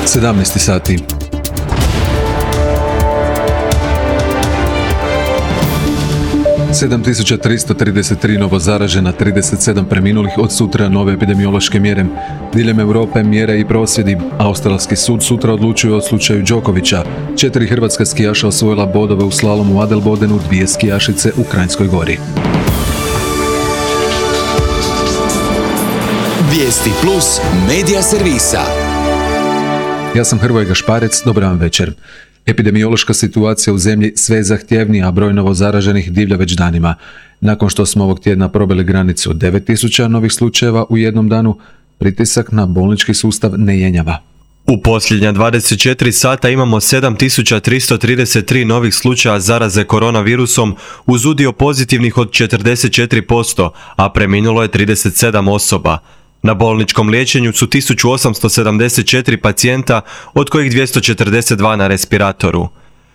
17 sati. – 7.333 novo zaražena, 37 preminulih, od sutra nove epidemiološke mjere. Diljem Europe mjere i prosvjedi. Australski sud sutra odlučuje o slučaju Đokovića. 4 hrvatska skijaša osvojila bodove u slalomu u Adelbodenu, 2 skijašice u Kranjskoj Gori. Vijesti plus medija servisa. Ja sam Hrvoje Gašparec, dobar vam večer. Epidemiološka situacija u zemlji sve je zahtjevnija, a broj novo zaraženih divlja već danima. Nakon što smo ovog tjedna probili granicu od 9.000 novih slučajeva u jednom danu, pritisak na bolnički sustav ne jenjava. U posljednja 24 sata imamo 7.333 novih slučaja zaraze koronavirusom uz udio pozitivnih od 44%, a preminulo je 37 osoba. Na bolničkom liječenju su 1874 pacijenta, od kojih 242 na respiratoru.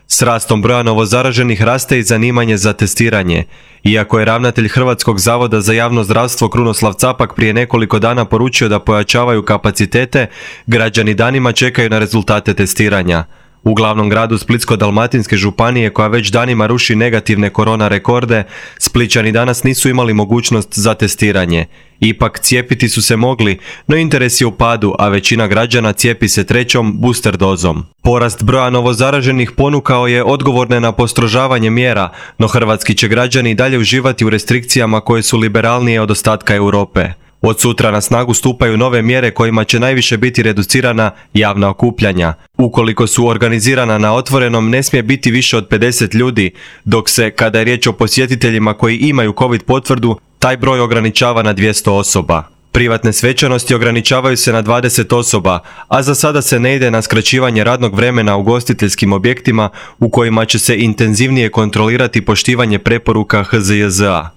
S rastom broja novozaraženih raste i zanimanje za testiranje. Iako je ravnatelj Hrvatskog zavoda za javno zdravstvo Krunoslav Capak prije nekoliko dana poručio da pojačavaju kapacitete, građani danima čekaju na rezultate testiranja. U glavnom gradu Splitsko-dalmatinske županije, koja već danima ruši negativne korona rekorde, Splićani danas nisu imali mogućnost za testiranje. Ipak cijepiti su se mogli, no interes je u padu, a većina građana cijepi se trećom booster dozom. Porast broja novozaraženih ponukao je odgovorne na postrožavanje mjera, no hrvatski će građani dalje uživati u restrikcijama koje su liberalnije od ostatka Europe. Od sutra na snagu stupaju nove mjere kojima će najviše biti reducirana javna okupljanja. Ukoliko su organizirana na otvorenom, ne smije biti više od 50 ljudi, dok se, kada je riječ o posjetiteljima koji imaju COVID potvrdu, taj broj ograničava na 200 osoba. Privatne svečanosti ograničavaju se na 20 osoba, a za sada se ne ide na skraćivanje radnog vremena u ugostiteljskim objektima u kojima će se intenzivnije kontrolirati poštivanje preporuka HZJZ-a.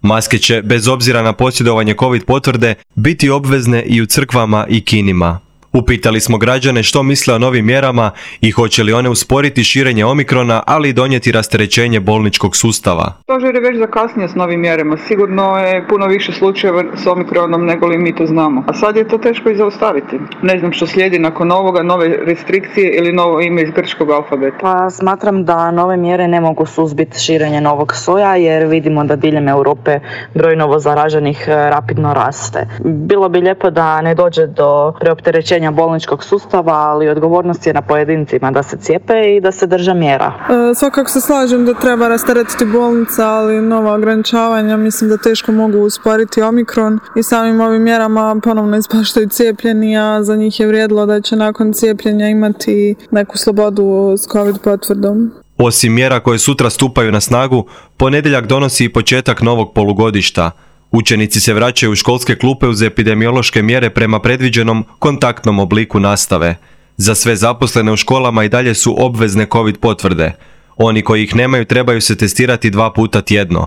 Maske će, bez obzira na posjedovanje COVID potvrde, biti obvezne i u crkvama i kinima. Upitali smo građane što misle o novim mjerama i hoće li one usporiti širenje omikrona, ali i donijeti rasterećenje bolničkog sustava. Stožer je već zakasnio s novim mjerama. Sigurno je puno više slučajeva s omikronom nego li mi to znamo. A sad je to teško i zaustaviti. Ne znam što slijedi nakon ovoga, nove restrikcije ili novo ime iz grčkog alfabeta. Pa smatram da nove mjere ne mogu suzbiti širenje novog soja, jer vidimo da diljem Europe broj novozaraženih rapidno raste. Bilo bi lijepo da ne dođe do preopterećenja bolničkog sustava, ali odgovornost je na pojedincima da se cijepe i da se drže mjera. Svakako se slažem da treba rasteretiti bolnica, ali nova ograničavanja mislim da teško mogu usporiti omikron i samim ovim mjerama ponovno ispaštaju cijepljeni, a za njih je vrijedilo da će nakon cijepljenja imati neku slobodu s COVID potvrdom. Osim mjera koje sutra stupaju na snagu, ponedjeljak donosi i početak novog polugodišta. Učenici se vraćaju u školske klupe uz epidemiološke mjere prema predviđenom kontaktnom obliku nastave. Za sve zaposlene u školama i dalje su obvezne COVID potvrde. Oni koji ih nemaju trebaju se testirati 2 puta tjedno.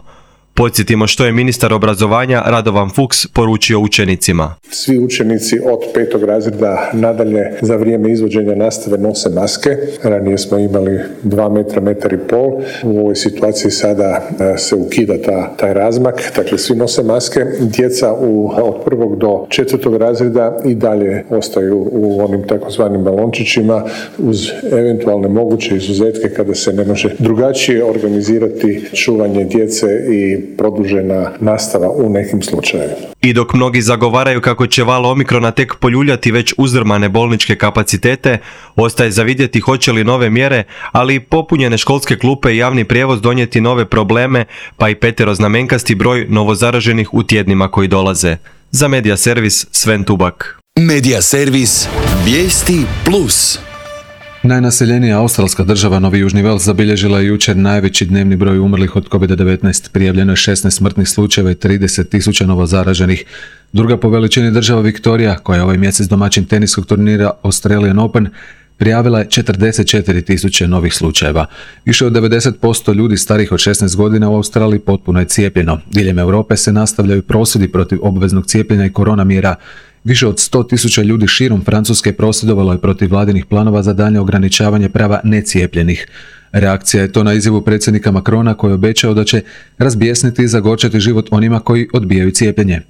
Podsjetimo što je ministar obrazovanja Radovan Fuchs poručio učenicima. Svi učenici od 5. razreda nadalje za vrijeme izvođenja nastave nose maske. Ranije smo imali 2 metra, 1,5 metra. U ovoj situaciji sada se ukida taj razmak. Dakle, svi nose maske. Djeca od 1. do 4. razreda i dalje ostaju u onim takozvanim balončićima uz eventualne moguće izuzetke kada se ne može drugačije organizirati čuvanje djece i produžena nastava u nekim slučajevima. I dok mnogi zagovaraju kako će val omikrona tek poljuljati već uzdrmane bolničke kapacitete, ostaje za vidjeti hoće li nove mjere, ali i popunjene školske klupe i javni prijevoz donijeti nove probleme, pa i peteroznamenkasti broj novozaraženih u tjednima koji dolaze. Za Medija servis Sven Tubak. Medija servis Vijesti plus. Najnaseljenija australska država Novi Južni Vels zabilježila je jučer najveći dnevni broj umrlih od COVID-19. Prijavljeno je 16 smrtnih slučajeva i 30.000 novozaraženih. Druga po veličini država Viktorija, koja je ovaj mjesec domaćin teniskog turnira Australian Open, prijavila je 44.000 novih slučajeva. Više od 90% ljudi starih od 16 godina u Australiji potpuno je cijepljeno. Diljem Europe se nastavljaju prosvjedi protiv obveznog cijepljenja i korona mjera. Više od 100.000 ljudi širom Francuske prosvjedovalo je protiv vladinih planova za daljnje ograničavanje prava necijepljenih. Reakcija je to na izjavu predsjednika Macrona koji je obećao da će razbjesniti i zagorčati život onima koji odbijaju cijepljenje.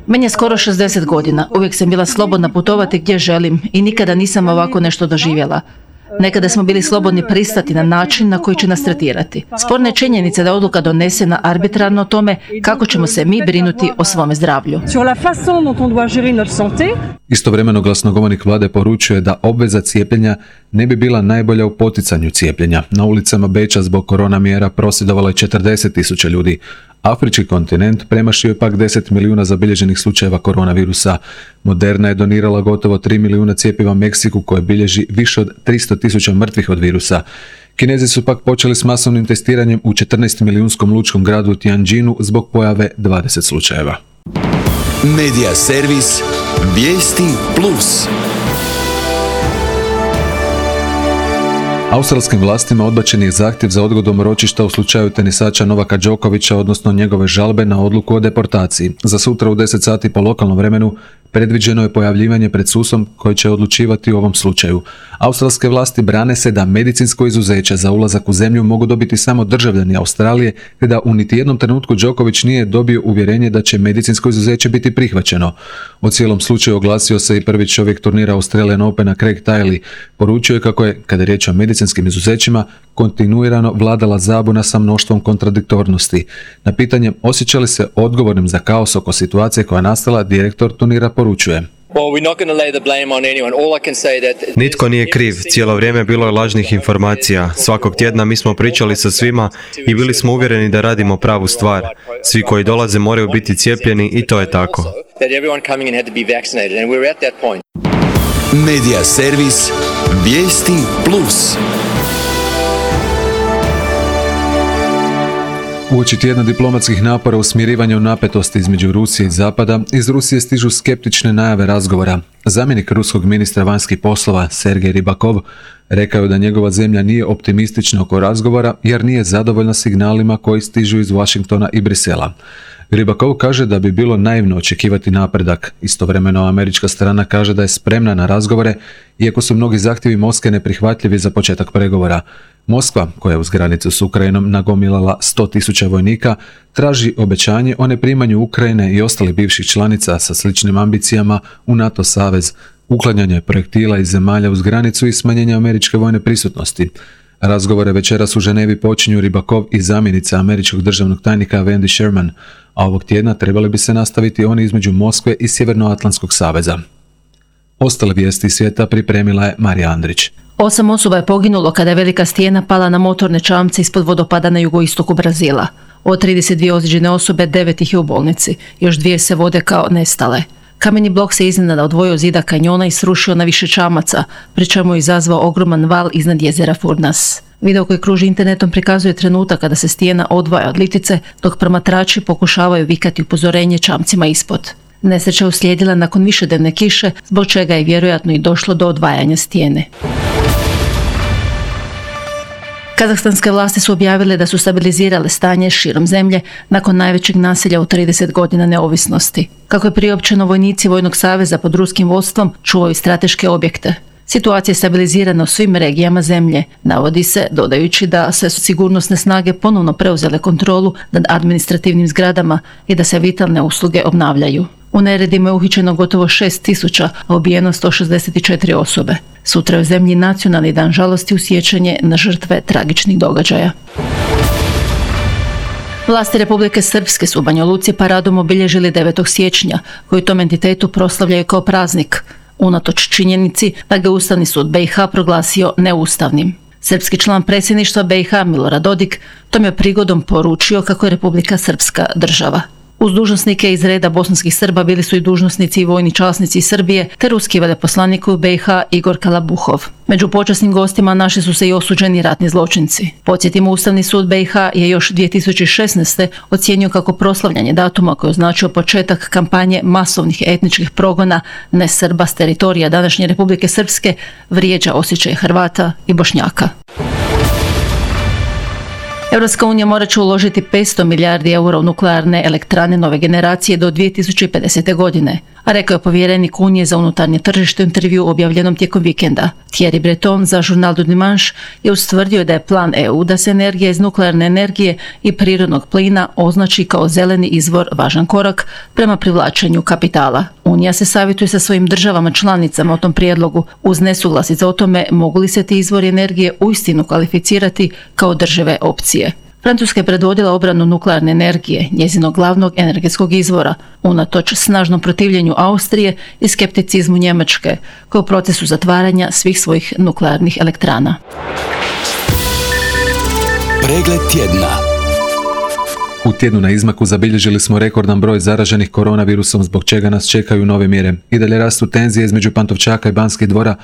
Meni je skoro 60 godina. Uvijek sam bila slobodna putovati gdje želim i nikada nisam ovako nešto doživjela. Nekada smo bili slobodni pristati na način na koji će nas tretirati. Sporna je činjenica da je odluka donesena arbitrarno o tome kako ćemo se mi brinuti o svome zdravlju. Istovremeno glasnogovornik vlade poručuje da obveza cijepljenja ne bi bila najbolja u poticanju cijepljenja. Na ulicama Beča zbog korona mjera prosvjedovalo je 40.000 ljudi. Afrički kontinent premašio je pak 10 milijuna zabilježenih slučajeva koronavirusa. Moderna je donirala gotovo 3 milijuna cjepiva Meksiku koje bilježi više od 300.000 mrtvih od virusa. Kinezi su pak počeli s masovnim testiranjem u 14 milijunskom lučkom gradu Tianjinu zbog pojave 20 slučajeva. Medija servis Vijesti Plus. Australskim vlastima odbačen je zahtjev za odgodom ročišta u slučaju tenisača Novaka Đokovića, odnosno njegove žalbe na odluku o deportaciji. Za sutra u 10 sati po lokalnom vremenu predviđeno je pojavljivanje pred sudom koji će odlučivati u ovom slučaju. Australske vlasti brane se da medicinsko izuzeće za ulazak u zemlju mogu dobiti samo državljani Australije, te da u niti jednom trenutku Đoković nije dobio uvjerenje da će medicinsko izuzeće biti prihvaćeno. O cijelom slučaju oglasio se i prvi čovjek turnira Australian Opena Craig Tiley. Poručio je kako je, kada je riječ o medicinskim izuzećima, kontinuirano vladala zabuna sa mnoštvom kontradiktornosti. Na pitanje osjeća li se odgovornim za kaos oko situacije koja je nastala, direktor turnira poručuje: Nitko nije kriv, cijelo vrijeme bilo je lažnih informacija. Svakog tjedna mi smo pričali sa svima i bili smo uvjereni da radimo pravu stvar. Svi koji dolaze moraju biti cijepljeni i to je tako. Medija servis Vijesti Plus. Uoči tjedna diplomatskih napora u smirivanju napetosti između Rusije i Zapada, iz Rusije stižu skeptične najave razgovora. Zamjenik ruskog ministra vanjskih poslova Sergej Rybakov rekao je da njegova zemlja nije optimistična oko razgovora jer nije zadovoljna signalima koji stižu iz Washingtona i Brisela. Rybakov kaže da bi bilo naivno očekivati napredak. Istovremeno američka strana kaže da je spremna na razgovore, iako su mnogi zahtjevi Moskve neprihvatljivi za početak pregovora. Moskva, koja je uz granicu s Ukrajinom nagomilala 100.000 vojnika, traži obećanje o neprimanju Ukrajine i ostalih bivših članica sa sličnim ambicijama u NATO savez, uklanjanje projektila iz zemalja uz granicu i smanjenje američke vojne prisutnosti. Razgovore večeras u Ženevi počinju Rybakov i zamjenica američkog državnog tajnika Wendy Sherman, a ovog tjedna trebali bi se nastaviti oni između Moskve i Sjevernoatlantskog saveza. Ostale vijesti svijeta pripremila je Marija Andrić. 8 osoba je poginulo kada je velika stijena pala na motorne čamce ispod vodopada na jugoistoku Brazila. Od 32 ozlijeđene osobe, 9 ih je u bolnici. Još 2 se vode kao nestale. Kameni blok se iznenada odvojio od zida kanjona i srušio na više čamaca, pri čemu je izazvao ogroman val iznad jezera Furnas. Video koji kruži internetom prikazuje trenutak kada se stijena odvaja od litice, dok promatrači pokušavaju vikati upozorenje čamcima ispod. Nesreća uslijedila nakon višednevne kiše, zbog čega je vjerojatno i došlo do odvajanja stijene. Kazahstanske vlasti su objavile da su stabilizirale stanje širom zemlje nakon najvećeg nasilja u 30 godina neovisnosti. Kako je priopćeno, vojnici Vojnog saveza pod ruskim vodstvom čuvaju strateške objekte. Situacija je stabilizirana u svim regijama zemlje, navodi se, dodajući da se sigurnosne snage ponovno preuzele kontrolu nad administrativnim zgradama i da se vitalne usluge obnavljaju. U neredima je uhićeno gotovo 6.000, a ubijeno 164 osobe. Sutra je u zemlji nacionalni dan žalosti u sjećanje na žrtve tragičnih događaja. Vlasti Republike Srpske su u Banja Luci paradom obilježili 9. siječnja, koji tom entitetu proslavljaju kao praznik, unatoč činjenici da ga Ustavni sud BiH proglasio neustavnim. Srpski član predsjedništva BiH Milorad Dodik tom je prigodom poručio kako je Republika Srpska država. Uz dužnosnike iz reda bosanskih Srba bili su i dužnosnici i vojni časnici iz Srbije, te ruski veleposlanik u BiH Igor Kalabuhov. Među počasnim gostima našli su se i osuđeni ratni zločinci. Podsjetimo, Ustavni sud BiH je još 2016. ocijenio kako proslavljanje datuma koji je označio početak kampanje masovnih etničkih progona nesrba s teritorija današnje Republike Srpske vrijeđa osjećaje Hrvata i Bošnjaka. Europska unija morat će uložiti 500 milijardi eura u nuklearne elektrane nove generacije do 2050. godine, a rekao je povjerenik Unije za unutarnje tržište u intervju objavljenom tijekom vikenda. Thierry Breton za Journal du Dimanche je ustvrdio da je plan EU da se energija iz nuklearne energije i prirodnog plina označi kao zeleni izvor važan korak prema privlačenju kapitala. Unija se savjetuje sa svojim državama članicama o tom prijedlogu uz nesuglasice o tome mogu li se ti izvori energije uistinu kvalificirati kao održive opcije. Francuska je predvodila obranu nuklearne energije, njezinog glavnog energetskog izvora, unatoč snažnom protivljenju Austrije i skepticizmu Njemačke, koja je u procesu zatvaranja svih svojih nuklearnih elektrana. Pregled tjedna. U tjednu na izmaku zabilježili smo rekordan broj zaraženih koronavirusom, zbog čega nas čekaju nove mjere. I dalje rastu tenzije između Pantovčaka i Banskih dvora,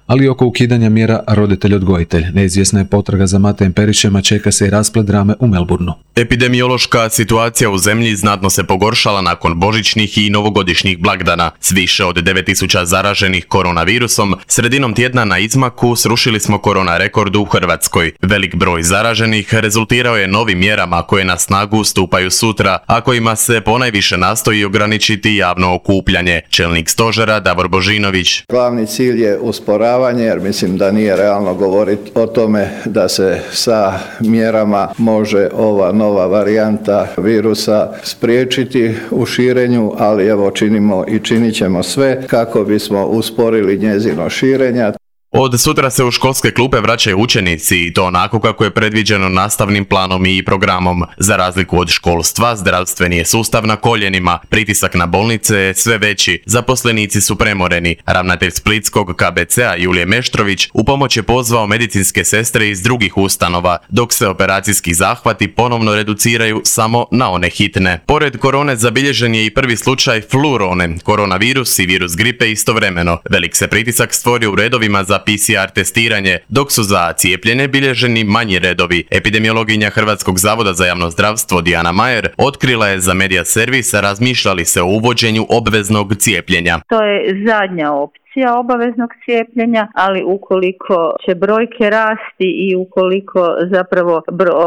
ali i oko ukidanja mjera roditelj-odgojitelj. Neizvjesna je potraga za Matejem Perišem, a čeka se i rasplet drame u Melbourneu. Epidemiološka situacija u zemlji znatno se pogoršala nakon božićnih i novogodišnjih blagdana. S više od 9000 zaraženih koronavirusom, sredinom tjedna na izmaku srušili smo korona rekord u Hrvatskoj. Velik broj zaraženih rezultirao je novim mjerama koje na snagu stupaju sutra, a kojima se ponajviše nastoji ograničiti javno okupljanje. Čelnik stožera Davor Božinović. Glavni cilj je usporavanje, jer mislim da nije realno govoriti o tome da se sa mjerama može ova nova varijanta virusa spriječiti u širenju, ali evo činimo i činit ćemo sve kako bismo usporili njezino širenje. Od sutra se u školske klupe vraćaju učenici i to onako kako je predviđeno nastavnim planom i programom. Za razliku od školstva, zdravstveni je sustav na koljenima, pritisak na bolnice je sve veći, zaposlenici su premoreni. Ravnatelj Splitskog KBC-a Julije Meštrović u pomoć je pozvao medicinske sestre iz drugih ustanova, dok se operacijski zahvati ponovno reduciraju samo na one hitne. Pored korone zabilježen je i prvi slučaj flurone, koronavirus i virus gripe istovremeno. Velik se pritisak stvorio u redovima za PCR testiranje, dok su za cijepljene bilježeni manji redovi. Epidemiologinja Hrvatskog zavoda za javno zdravstvo Dijana Majer otkrila je za Media Servis razmišljali se o uvođenju obveznog cijepljenja. To je zadnja opcija obaveznog cijepljenja, ali ukoliko će brojke rasti i ukoliko zapravo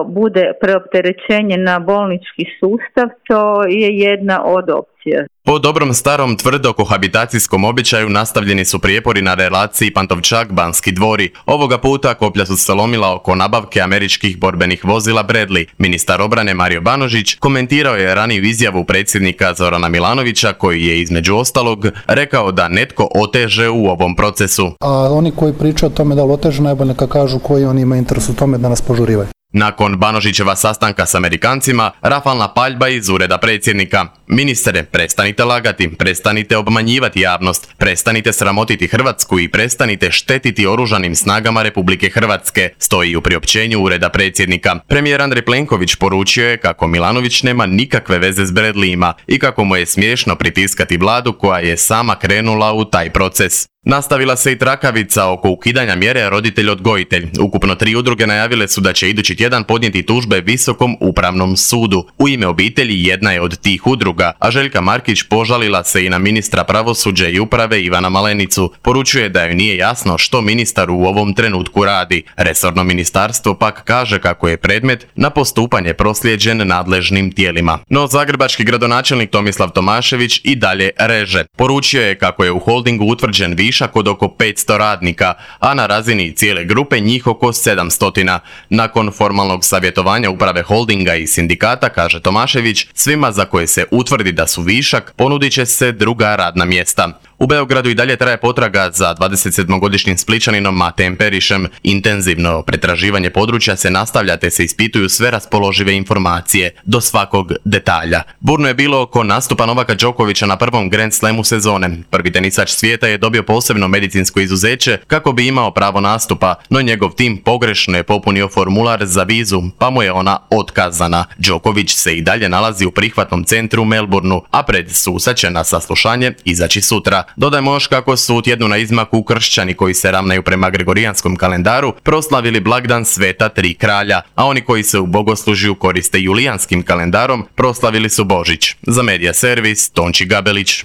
bude preopterećenje na bolnički sustav, to je jedna od opcija. Po dobrom starom tvrdo kohabitacijskom običaju nastavljeni su prijepori na relaciji Pantovčak-Banski dvori. Ovoga puta koplja su se lomila oko nabavke američkih borbenih vozila Bradley. Ministar obrane Mario Banožić komentirao je raniju izjavu predsjednika Zorana Milanovića, koji je između ostalog rekao da netko oteže u ovom procesu. A oni koji pričaju o tome da li oteže, najbolje neka kažu koji oni imaju interes u tome da nas požurivaju. Nakon Banožićeva sastanka s Amerikancima, rafalna paljba iz ureda predsjednika. Ministre, prestanite lagati, prestanite obmanjivati javnost, prestanite sramotiti Hrvatsku i prestanite štetiti oružanim snagama Republike Hrvatske, stoji u priopćenju ureda predsjednika. Premijer Andrej Plenković poručio je kako Milanović nema nikakve veze s Bradleyima i kako mu je smiješno pritiskati vladu koja je sama krenula u taj proces. Nastavila se i trakavica oko ukidanja mjere roditelj-odgojitelj. Ukupno 3 udruge najavile su da će idući tjedan podnijeti tužbe Visokom upravnom sudu. U ime obitelji jedna je od tih udruga, a Željka Markić požalila se i na ministra pravosuđa i uprave Ivana Malenicu. Poručuje da joj nije jasno što ministar u ovom trenutku radi. Resorno ministarstvo pak kaže kako je predmet na postupanje proslijeđen nadležnim tijelima. No zagrebački gradonačelnik Tomislav Tomašević i dalje reže. Poručio je kako je u holdingu utvrđen višak od oko 500 radnika, a na razini cijele grupe njih oko 700. Nakon formalnog savjetovanja uprave holdinga i sindikata, kaže Tomašević, svima za koje se utvrdi da su višak, ponudit će se druga radna mjesta. U Beogradu i dalje traje potraga za 27-godišnjim Spličaninom Matejem Perišem. Intenzivno pretraživanje područja se nastavlja te se ispituju sve raspoložive informacije, do svakog detalja. Burno je bilo oko nastupa Novaka Đokovića na prvom Grand Slamu sezone. Prvi tenisač svijeta je dobio posebno medicinsko izuzeće kako bi imao pravo nastupa, no njegov tim pogrešno je popunio formular za vizu, pa mu je ona otkazana. Đoković se i dalje nalazi u prihvatnom centru u Melbourneu, a pred susa će na saslušanje izaći sutra. Dodajmo još kako su u tjednu na izmaku kršćani koji se ravnaju prema gregorijanskom kalendaru proslavili blagdan Sveta Tri kralja, a oni koji se u bogoslužju koriste julijanskim kalendarom proslavili su Božić. Za Media Servis, Tonči Gabelić.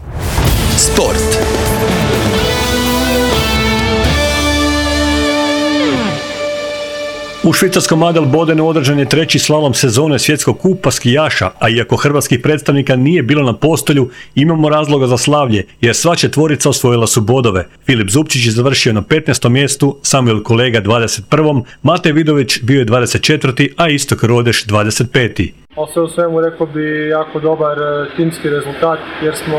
Sport. U švicarskom Adelbodenu održan je treći slalom sezone svjetskog kupa skijaša, a iako hrvatskih predstavnika nije bilo na postolju, imamo razloga za slavlje, jer sva četvorica osvojila su bodove. Filip Zupčić je završio na 15. mjestu, Samuel Kolega 21. Matej Vidović bio je 24. a Istok Rodeš 25. Sve u svemu rekao bi jako dobar timski rezultat jer smo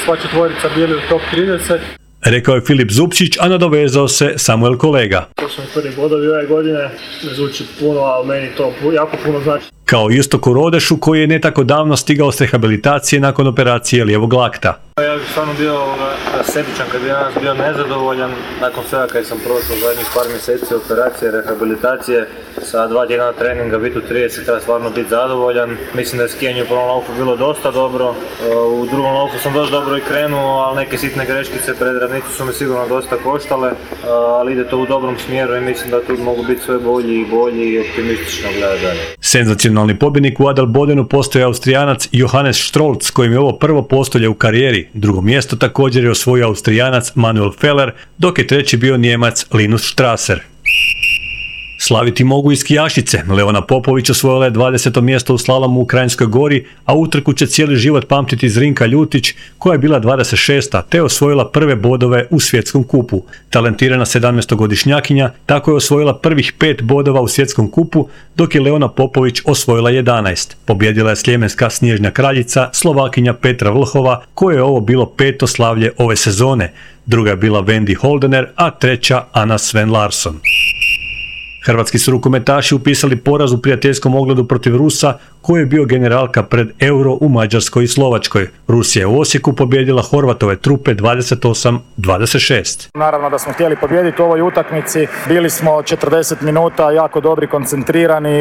sva četvorica bili u top 30. Rekao je Filip Zupčić, a nadovezao se Samuel Kolega. To su mi prvi bodovi ove godine, ne zvuči puno, ali meni to jako puno znači. Kao Istoku Rodešu koji je ne tako davno stigao s rehabilitacije nakon operacije lijevog lakta. Ja bih stvarno bio sebičan kad bi danas bio nezadovoljan nakon svega kad sam prošao zadnjih par mjeseci operacije, rehabilitacije, sa 2 tjedna treninga biti u 30 treba stvarno biti zadovoljan. Mislim da je skijanje u prvom laufu bilo dosta dobro, u drugom laufu sam dosta dobro i krenuo, ali neke sitne greškice pred ravnicu su mi sigurno dosta koštale, ali ide to u dobrom smjeru i mislim da tu mogu biti sve bolji i bolji i optimistično gledati dalje. Senzacionalni pobjednik u Adelbodenu postoje Austrijanac Johannes Strolz, kojim je ovo prvo postolje u karijeri. Drugo mjesto također je osvojio Austrijanac Manuel Feller, dok je treći bio Nijemac Linus Strasser. Slaviti mogu i skijašice. Leona Popović osvojila je 20. mjesto u slalomu u Kranjskoj Gori, a utrku će cijeli život pamtiti Zrinka Ljutić, koja je bila 26. te osvojila prve bodove u svjetskom kupu. Talentirana 17-godišnjakinja tako je osvojila prvih 5 bodova u svjetskom kupu, dok je Leona Popović osvojila 11. Pobjedila je sljemenska snježna kraljica Slovakinja Petra Vlhova, koje je ovo bilo 5. slavlje ove sezone. Druga je bila Wendy Holdener, a treća Anna Sven Larsson. Hrvatski su rukometaši upisali poraz u prijateljskom ogledu protiv Rusa, koji je bio generalka pred Euro u Mađarskoj i Slovačkoj. Rusija je u Osijeku pobjedila Horvatove trupe 28-26. Naravno da smo htjeli pobijediti u ovoj utakmici. Bili smo 40 minuta jako dobri, koncentrirani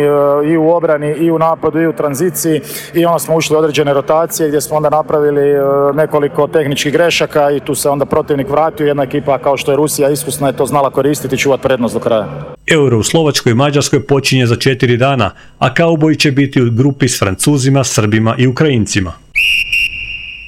i u obrani, i u napadu, i u tranziciji. I onda smo ušli u određene rotacije gdje smo onda napravili nekoliko tehničkih grešaka i tu se onda protivnik vratio. Jedna ekipa kao što je Rusija iskusna je to znala koristiti i čuvati prednost do kraja. Euro u Slovačkoj i Mađarskoj počinje za 4 dana, a kauboji će biti u grupi s Francuzima, Srbima i Ukrajincima.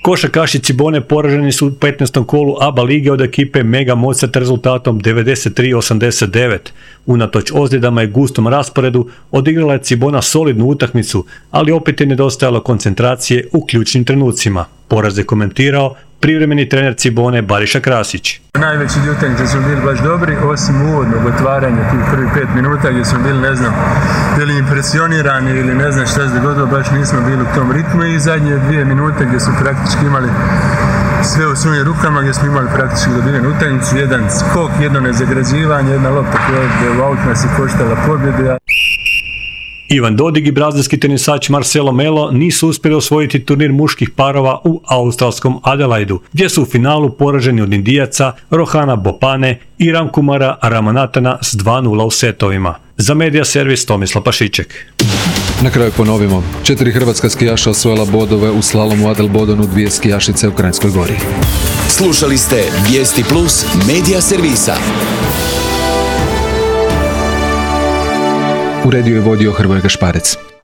Košarkaši Cibone poraženi su u 15. kolu ABA lige od ekipe Mega Mozart rezultatom 93-89. Unatoč ozljedama i gustom rasporedu odigrala je Cibona solidnu utakmicu, ali opet je nedostajalo koncentracije u ključnim trenucima. Poraz je komentirao privremeni trener Cibone Bariša Krasić. Najveći dio utakmice smo bili baš dobri, osim uvodnog otvaranja tih prvih 5 minuta gdje smo bili, ne znam, bili impresionirani ili ne znam šta se dogodilo, baš nismo bili u tom ritmu i zadnje 2 minute gdje su praktički imali sve u svojim rukama, gdje smo imali praktički dobivenu utakmicu, jedan skok, jedno nezagrađivanje, jedna lopta koja je u aut nas je koštala pobjede. Ivan Dodig i brazilski tenisač Marcelo Melo nisu uspjeli osvojiti turnir muških parova u australskom Adelaidu, gdje su u finalu poraženi od Indijaca Rohana Bopane i Ramkumara Ramanatana s 2-0 u setovima. Za Medija servis Tomislav Pašiček. Na kraju ponovimo, 4 hrvatska skijaša osvojila bodove u slalomu Adelbodenu, 2 skijašice u Kranjskoj Gori. Slušali ste Vijesti Plus Medija servisa. Uredio je vodio Hrvoje Gašparec.